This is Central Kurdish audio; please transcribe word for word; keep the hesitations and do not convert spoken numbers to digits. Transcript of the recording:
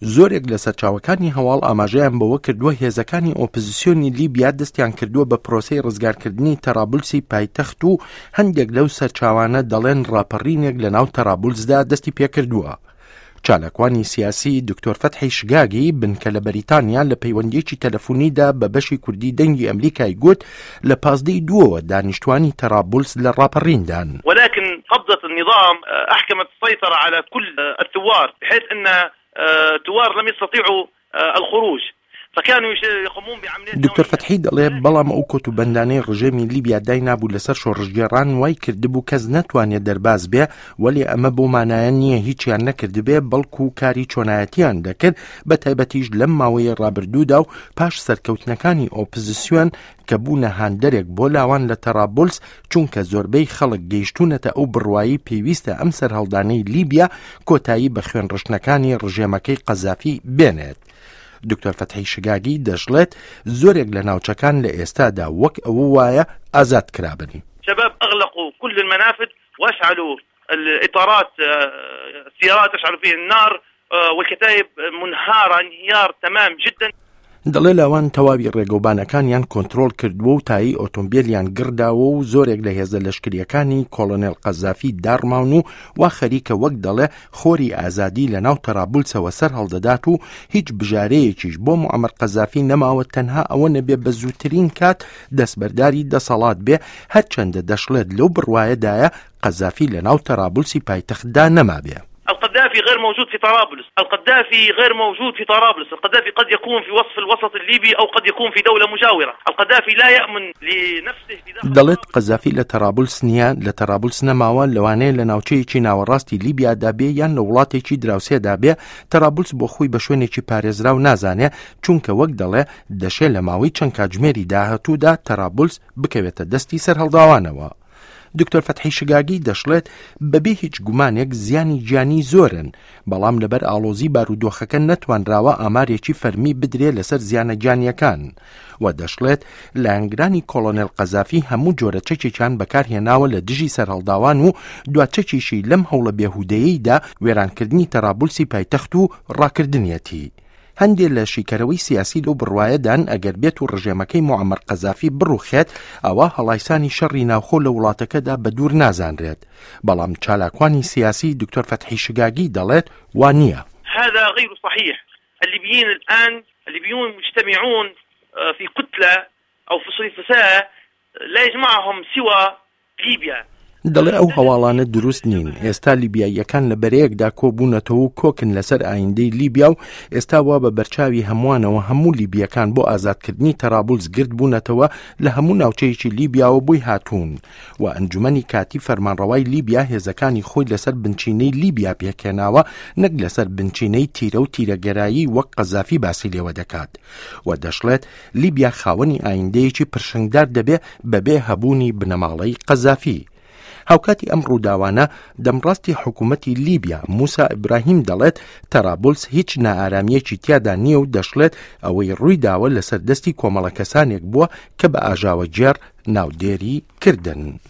زۆرێک لە سەرچاوەکانی هەواڵ ئاماژەیان بەوە کردووە هێزەکانی ئۆپۆزیسیۆنی لیبیا دەستیان کردووە بە پرۆسەی ڕزگارکردنی تەرابولسی پایتەخت و هەندێک لەو سەرچاوانە دەڵێن ڕاپەڕینێک لە ناو تەرابولسدا دەستی پێکردووە. چالاکوانی سیاسی دکتۆر فەتحی شگاگی بنکە لە بەریتانیا لە پەیوەندیەکی تەلەفۆنیدا بە بەشی کوردی دەنگی ئەمریکای گوت لە پازدەی دووەوە دانیشتوانی تەرابولس لە ڕاپەڕیندان. ولكن قبضة النظام أحكمت السيطرة على كل الثوار بحيث أن الثوار لم يستطيعوا الخروج فكانوا يقومون بعمليات دکتۆر فەتحی دەڵێ بەڵام ئەو کۆتوبەندانەی ڕژێمی لیبیا داینابوو لەسەر شۆڕشگێڕان وای کردبوو کەس نەتوانێت دەرباز بێ، وەلێ ئەمە بۆ مانایە نییە هیچیان نەکردبێ، بەڵکو کاری چۆنایەتیان دەکرد، بە تایبەتیش لەم ماوەیە ڕابردوودا و پاش سەرکەوتنەکانی ئۆپۆزیسیۆن کە بوونە هاندەرێک بۆ لاوان لە تەرابولس، چونکە زۆربەی خەڵک گەیشتونەتە ئەو بڕوایی پێویستە ئەم سەرهەڵدانەی لیبیا کۆتایی بە خوێنڕشتنەکانی ڕژێمەکەی قەزافی بێنێت. دکتۆر فەتحی شگاگی دەشڵێت زۆرێک لە ناوچەکان لە ئێستادا وەک ئەوە وایە ئازاد کرابن. شباب أغلقوا كل المنافذ وأشعلوا الإطارات، السيارات أشعلوا فيه النار والكتائب منهارة انهيار تمام جدا. دەڵێ لاوان تەواوی ڕێگەوبانەکانیان کۆنترۆڵ کردووە و تایی ئۆتۆمبیلیان گڕداوە و زۆرێک لە هێزە لەشکریەکانی کۆڵۆنێل قەزافی داڕماون و وا خەریکە وەک دەڵێ خۆری ئازادی لە ناو تەرابولسەوە سەر هەڵدەدات و هیچ بژارەیەکیش بۆ معەمەر قەزافی نەماوە تەنها ئەوە نەبێ بە زووترین کات دەستبەرداری دەسەڵات بێ، هەرچەندە دەشڵێت لەو بڕوایەدایە قەزافی لە ناو تەرابولسی پایتەختدا نەمابێ. القذافي غير موجود في طرابلس، القذافي غير موجود في طرابلس، القذافي قد يكون في وصف الوسط الليبي أو قد يكون في دولة مجاورة، القذافي لا يأمن لنفسه في داخل دەڵێت قەزافی لە تەرابولس نییە، لە تەرابولس نەماوە، لەوانەیە لە ناوچەیەکی ناوەڕاستی لیبیادا بێ یان لە وڵاتێکی دراوسێدا بێ. تەرابولس بۆ خۆی بە شوێنێکی پارێزراو نازانێ، چونکە وەک دەڵێ دەشێ لە ماوەی چەند کاتژمێری داهاتوودا تەرابولس بکەوێتە دەستی سەرهەڵداوانەوە. دکتۆر فەتحی شگاگی دەشڵێت بەبێ هیچ گومانێک زیانی گیانی زۆرن، بەڵام لەبەر ئاڵۆزی بارودۆخەکە نەتوانراوە ئامارێکی فەرمی بدرێ لەسەر زیانە گیانیەکان. و دەشڵێت لایەنگرانی کۆڵۆنێل قەزافی هەموو جۆرە چەکێکیان بەکارهێناوە لە دژی سەرهەڵداوان و دواچەکیشی لەم هەوڵە بێهودەیەیدا وێرانکردنی تەرابولسی پایتەخت و ڕاکردنیەتی. هەندێک لە شیکەرەوەی سیاسی لەو بڕوایەدان ئەگەر بێت و ڕژێمەکەی معەمەر قەزافی بڕوخێت ئەوە هەڵایسانی شەڕی ناوخۆ لە وڵاتەکەدا بە دوور نازانرێت. بەڵام چالاکوانی سیاسی دکتۆر فەتحی شگاگی دەڵێت وا نییە. هذا غير صحيح. الليبيين الآن الليبيون مجتمعون في كتلة أو في صفساء لا يجمعهم سوى ليبيا. دەڵێ ئەو هەواڵانە دروست نین. ئێستا لیبیاییەکان لە بەرەیەکدا کۆبوونەتەوە و کۆکن لەسەر ئایندەی لیبیا و ئێستا وا بە بەرچاوی هەمووانەوە هەموو لیبیەکان بۆ ئازادکردنی تەرابولس گرد بوونەتەوە لە هەموو ناوچەیەکی لیبیاوە بۆی هاتوون و ئەنجومەنی کاتی فەرمانڕەوای لیبیا هێزەکانی خۆی لەسەر بنچینەی لیبیا پێکهێناوە نەک لەسەر بنچینەی تیرە و تیرەگەرایی وەک قەزافی باسی لێوە دەکات. و دەشڵێت لیبیا خاوەنی ئایندەیەکی پرشنگدار دەبێ بەبێ هەبوونی بنەماڵەی قەزافی. هاوکاتی ئەم ڕووداوانە دەمڕاستی حکوومەتی لیبیا موسا ئیبراهیم دەڵێت تەرابولس هیچ نائارامیەکی تیادا نییە و دەشڵێت ئەوەی ڕووی داوە لەسەر دەستی کۆمەڵە کەسانێک بووە کە بە ئاژاوەگێڕ ناودێری کردن.